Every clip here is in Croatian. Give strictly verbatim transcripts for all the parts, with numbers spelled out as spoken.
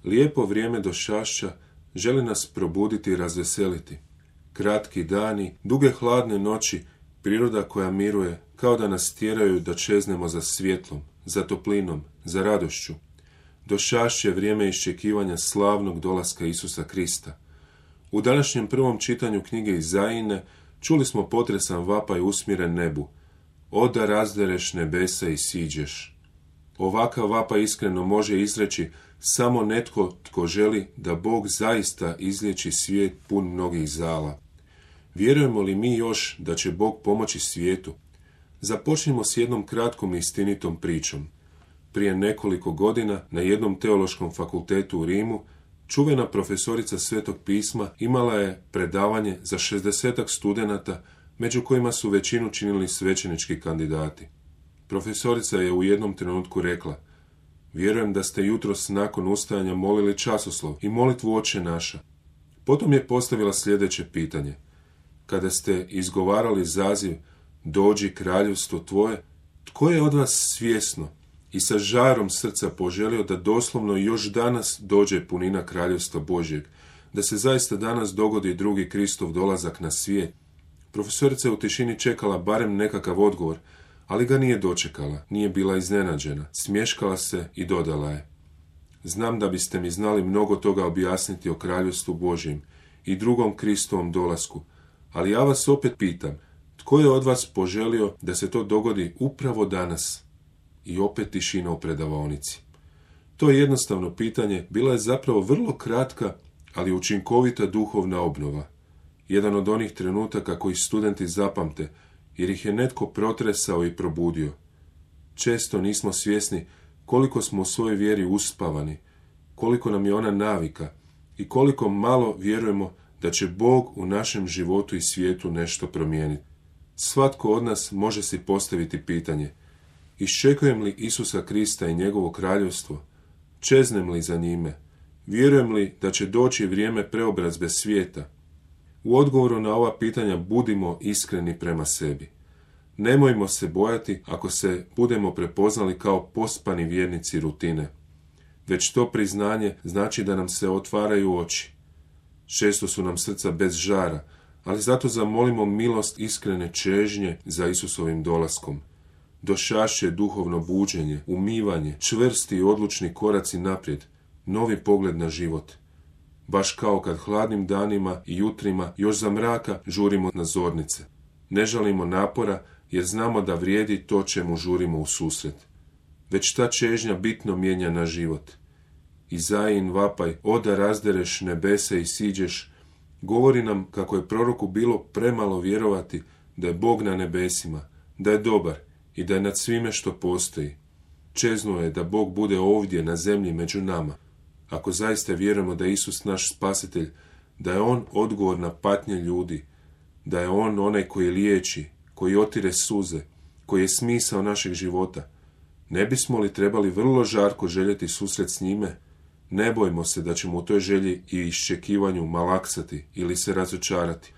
Lijepo vrijeme došašća želi nas probuditi i razveseliti. Kratki dani, duge hladne noći, priroda koja miruje, kao da nas tjeraju da čeznemo za svjetlom, za toplinom, za radošću. Došašće vrijeme iščekivanja slavnog dolaska Isusa Krista. U današnjem prvom čitanju knjige Izajine čuli smo potresan vapaj usmjeren nebu. O da razdereš nebesa i siđeš. Ovakav vapaj iskreno može izreći samo netko tko želi da Bog zaista izliječi svijet pun mnogih zala. Vjerujemo li mi još da će Bog pomoći svijetu? Započnimo s jednom kratkom i istinitom pričom. Prije nekoliko godina na jednom teološkom fakultetu u Rimu čuvena profesorica Svetog pisma imala je predavanje za šezdesetak studenata, među kojima su većinu činili svećenički kandidati. Profesorica je u jednom trenutku rekla: vjerujem da ste jutros nakon ustajanja molili časoslov i molitvu Oče naša. Potom je postavila sljedeće pitanje. Kada ste izgovarali zaziv dođi kraljevstvo tvoje, tko je od vas svjesno i sa žarom srca poželio da doslovno još danas dođe punina kraljevstva Božjeg, da se zaista danas dogodi drugi Kristov dolazak na svijet? Profesorica je u tišini čekala barem nekakav odgovor, ali ga nije dočekala, nije bila iznenađena, smješkala se i dodala je: znam da biste mi znali mnogo toga objasniti o kraljevstvu Božjem i drugom Kristovom dolasku, ali ja vas opet pitam, tko je od vas poželio da se to dogodi upravo danas? I opet tišina u predavaonici. To jednostavno pitanje bila je zapravo vrlo kratka, ali učinkovita duhovna obnova. Jedan od onih trenutaka koji studenti zapamte, jer ih je netko protresao i probudio. Često nismo svjesni koliko smo u svojoj vjeri uspavani, koliko nam je ona navika i koliko malo vjerujemo da će Bog u našem životu i svijetu nešto promijeniti. Svatko od nas može si postaviti pitanje: iščekujem li Isusa Krista i njegovo kraljevstvo? Čeznem li za njime? Vjerujem li da će doći vrijeme preobrazbe svijeta? U odgovoru na ova pitanja budimo iskreni prema sebi. Nemojmo se bojati ako se budemo prepoznali kao pospani vjernici rutine. Već to priznanje znači da nam se otvaraju oči. Često su nam srca bez žara, ali zato zamolimo milost iskrene čežnje za Isusovim dolaskom. Došašće duhovno buđenje, umivanje, čvrsti i odlučni koraci naprijed, novi pogled na život. Baš kao kad hladnim danima i jutrima još za mraka žurimo na zornice. Ne žalimo napora jer znamo da vrijedi to čemu žurimo u susret. Već ta čežnja bitno mijenja naš život. Izajin vapaj, o da razdereš nebese i siđeš, govori nam kako je proroku bilo premalo vjerovati da je Bog na nebesima, da je dobar i da je nad svime što postoji. Čeznuo je da Bog bude ovdje na zemlji među nama. Ako zaista vjerujemo da je Isus naš spasitelj, da je On odgovor na patnje ljudi, da je On onaj koji liječi, koji otire suze, koji je smisao našeg života, ne bismo li trebali vrlo žarko željeti susret s njime? Ne bojmo se da ćemo u toj želji i iščekivanju malaksati ili se razočarati.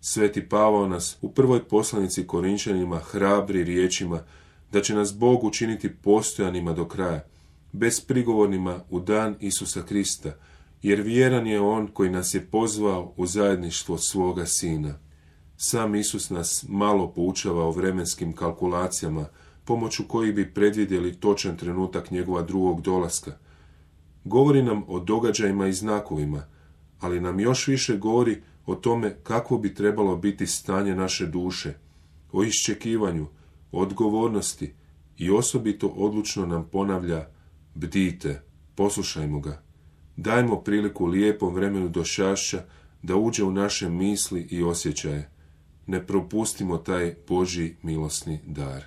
Sveti Pavao nas u prvoj poslanici Korinčanima hrabri riječima da će nas Bog učiniti postojanima do kraja, bezprigovornima u dan Isusa Krista, jer vjeran je On koji nas je pozvao u zajedništvo svoga Sina. Sam Isus nas malo poučava o vremenskim kalkulacijama, pomoću kojih bi predvidjeli točan trenutak njegova drugog dolaska. Govori nam o događajima i znakovima, ali nam još više govori o tome kako bi trebalo biti stanje naše duše, o iščekivanju, o odgovornosti i osobito odlučno nam ponavlja: bdite, poslušajmo ga. Dajmo priliku lijepom vremenu došašća da uđe u naše misli i osjećaje. Ne propustimo taj Božji milosni dar.